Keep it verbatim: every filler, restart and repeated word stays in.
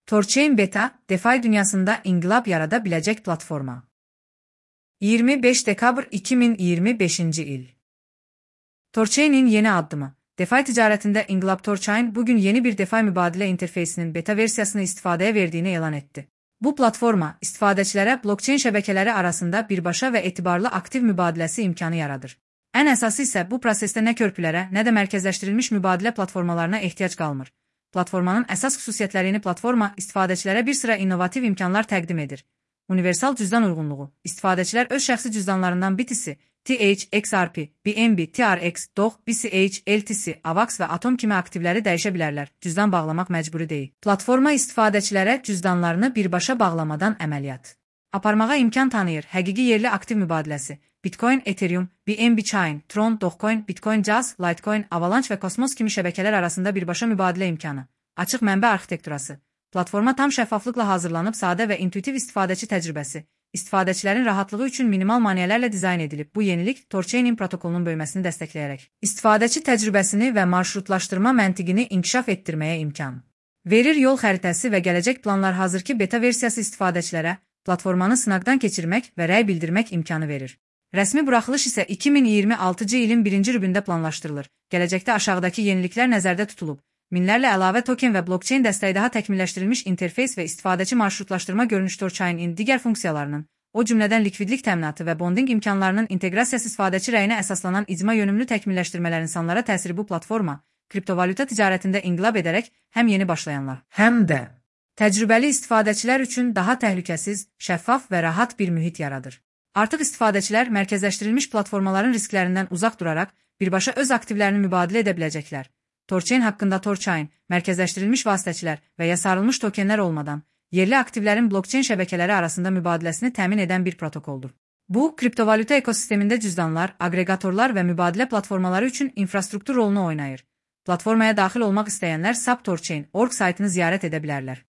Torchain Beta, DeFi dünyasında inkılap yaratabilecek platforma. yirmi beş Dekabr iki bin yirmi beşinci il. Torchain'in yeni adımı. DeFi ticaretinde inkılap Torchain bugün yeni bir DeFi mübadele interfeysinin beta versiyasını istifadeye verdiğini ilan etti. Bu platforma, istifadəçilərə blockchain şəbəkələri arasında birbaşa və etibarlı aktiv mübadiləsi imkanı yaradır. Ən əsası isə bu prosesdə nə körpülərə, nə də mərkəzləşdirilmiş mübadilə platformalarına ehtiyac qalmır. Platformanın əsas xüsusiyyətlərini platforma istifadəçilərə bir sıra innovativ imkanlar təqdim edir. Universal cüzdan uyğunluğu. İstifadəçilər öz şəxsi cüzdanlarından B T C, T H, X R P, B N B, T R X, D O G, B C H, L T C, AVAX və Atom kimi aktivləri dəyişə bilərlər. Cüzdan bağlamaq məcburi deyil. Platforma istifadəçilərə cüzdanlarını birbaşa bağlamadan əməliyyat aparmağa imkan tanıyır. Həqiqi yerli aktiv mübadiləsi. Bitcoin, Ethereum, B N B Chain, Tron, Dogecoin, Bitcoin Jazz, Litecoin, Avalanche və Cosmos kimi şəbəkələr arasında birbaşa mübadilə imkanı. Açıq mənbə arxitekturası. Platforma tam şəffaflıqla hazırlanıb, sadə və intuitiv istifadəçi təcrübəsi. İstifadəçilərin rahatlığı üçün minimal maneələrlə dizayn edilib. Bu yenilik Torchain protokolunun böyüməsini dəstəkləyərək istifadəçi təcrübəsini və marşrutlaşdırma məntiqini inkişaf etdirməyə imkan verir. Yol xəritəsi və gələcək planlar. Hazırki beta versiyası istifadəçilərə platformanı sınaqdan keçirmək və rəy bildirmək imkanı verir. Rəsmi buraxılış isə iki min iyirmi altıncı ilin birinci rübündə planlaşdırılır. Gələcəkdə aşağıdakı yeniliklər nəzərdə tutulub. Minlərlə əlavə token və blockchain dəstəyi, daha təkmilləşdirilmiş interfeys və istifadəçi marşrutlaşdırma görünüş. Torchain'in digər funksiyalarının, o cümlədən likvidlik təminatı və bonding imkanlarının inteqrasiyası, istifadəçi rəyinə əsaslanan icma yönümlü təkmilləşdirmələr, insanlara təsiri. Bu platforma, kriptovalyuta ticarətində inqilab edərək həm yeni başlayanlar, həm də təcrübəli istifadəçilər üçün daha təhlükəsiz, şəffaf və rahat bir mühit yaradır. Artıq istifadəçilər mərkəzləşdirilmiş platformaların risklərindən uzaq duraraq birbaşa öz aktivlərini mübadilə edə biləcəklər. Torchain haqqında. Torchain, mərkəzləşdirilmiş vasitəçilər və ya sarılmış tokenlər olmadan yerli aktivlərin blockchain şəbəkələri arasında mübadiləsini təmin edən bir protokoldur. Bu, kriptovalyuta ekosistemində cüzdanlar, aqreqatorlar və mübadilə platformaları üçün infrastruktur rolunu oynayır. Platformaya daxil olmaq istəyənlər sap torchain nöqtə org saytını ziyarət edə bilərlər.